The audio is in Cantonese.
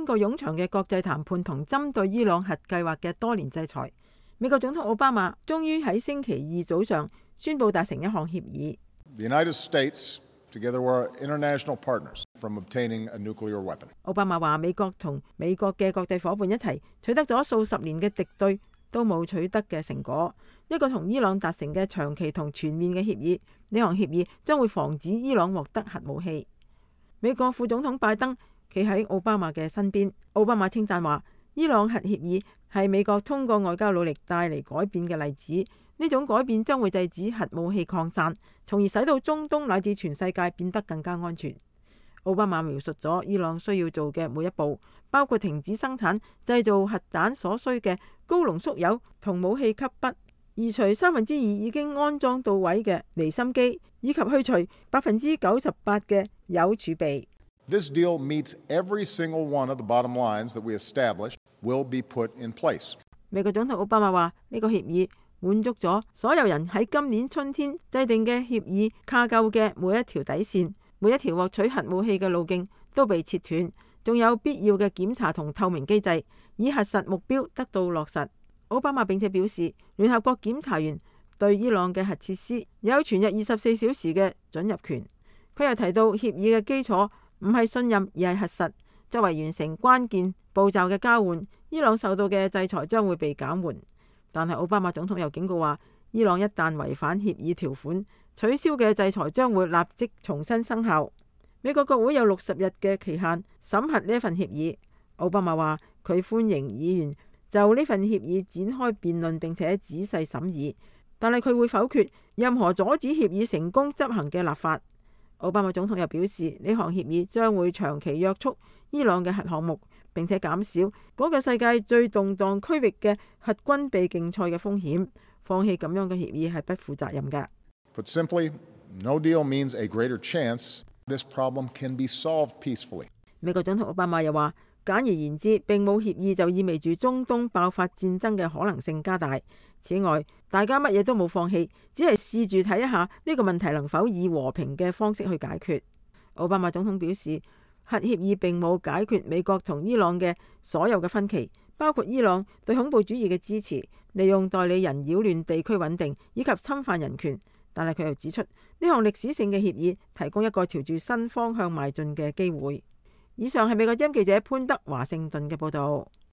經過冗長嘅國際談判同針對伊朗核計劃嘅多年制裁，美國總統奧巴馬終於喺星期二早上宣布達成一項協議。The United States together were international partners from obtaining a nuclear weapon. 奧巴馬話：美國同美國嘅國際夥伴一齊取得咗數十年嘅敵對都冇取得嘅成果，一個同伊朗達成嘅長期同全面嘅協議。呢項協議將會防止伊朗獲得核武器。美國副總統拜登企喺奧巴馬嘅身邊，奧巴馬稱讚話：伊朗核協議係美國通過外交努力帶嚟改變嘅例子。呢種改變將會制止核武器擴散，從而使到中東乃至全世界變得更加安全。奧巴馬描述咗伊朗需要做嘅每一步，包括停止生產製造核彈所需嘅高濃縮鈾同武器級筆，移除2%已經安裝到位嘅離心機，以及去除98%嘅鈾儲備。This deal meets every single one of the bottom lines that we established will be put in place. 美國總統奧巴馬話：呢個協議滿足咗所有人喺今年春天制定嘅協議架構嘅每一條底線，每一條獲取核武器嘅路徑都被切斷，仲有必要嘅檢查同透明機制，以核實目標得到落實。奧巴馬並且表示，聯合國檢查員對伊朗嘅核設施有全日24小時嘅准入權。佢又提到協議嘅基礎唔係信任而係核實，作為完成關鍵步驟嘅交換，伊朗受到嘅制裁將會被減緩。但係奧巴馬總統又警告話，伊朗一旦違反協議條款，取消嘅制裁將會立即重新生效。美國國會有60日嘅期限審核呢份協議。奧巴馬話佢歡迎議員就呢份協議展開辯論並且仔細審議，但係佢會否決任何阻止協議成功執行嘅立法。奧巴馬總統又表示，呢項協議將會長期約束伊朗嘅核項目，並且減少嗰個世界最動盪區域嘅核軍備競賽嘅風險。放棄咁樣嘅協議係不負責任嘅。Put simply, no deal means a greater chance this problem can be solved peacefully. 美國總統奧巴馬又話，簡而言之，並冇協議就意味住中東爆發戰爭嘅可能性加大。此外，大家乜嘢都冇放棄，只係試住睇一下呢個問題能否以和平嘅方式去解決。奧巴馬總統表示，核協議並冇解決美國同伊朗嘅所有嘅分歧，包括伊朗對恐怖主義嘅支持、利用代理人擾亂地區穩定以及侵犯人權。但係佢又指出，呢項歷史性嘅協議提供一個朝住新方向邁進嘅機會。以上係美國之音記者潘德華盛頓嘅報道。